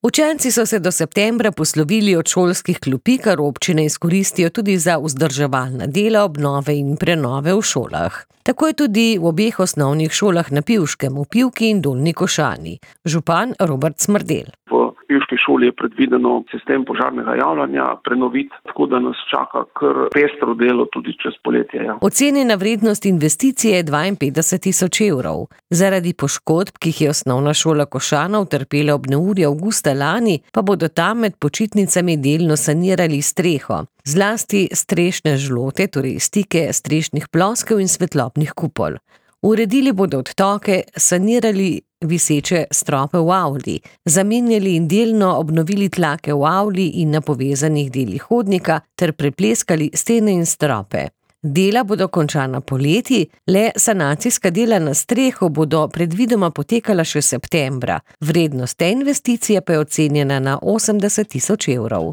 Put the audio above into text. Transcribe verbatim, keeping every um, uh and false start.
Učenci so se do septembra poslovili od šolskih klopi, kar občine izkoristijo tudi za vzdrževalna dela, obnove in prenove v šolah. Tako je tudi v obeh osnovnih šolah na Pivškem, v Pivki in Dolnji Košani. Župan Robert Smrdelj. V Pivški šoli je predvideno sistem požarnega javljanja prenoviti, tako da nas čaka kar pestro delo tudi čez poletje. Ja. Ocenjena vrednost investicije je dvainpetdeset tisoč evrov. Zaradi poškodb, ki jih je osnovna šola Košana utrpela ob neurju avgusta lani, pa bodo tam med počitnicami delno sanirali streho. Zlasti strešne žlote, torej stike strešnih ploskev in svetlobnih kupol. Uredili bodo odtoke, sanirali viseče strope v avli, zamenjali in delno obnovili tlake v avli in na povezanih delih hodnika ter prepleskali stene in strope. Dela bodo končana poleti, le sanacijska dela na streho bodo predvidoma potekala še septembra. Vrednost te investicije pa je ocenjena na osemdeset tisoč evrov.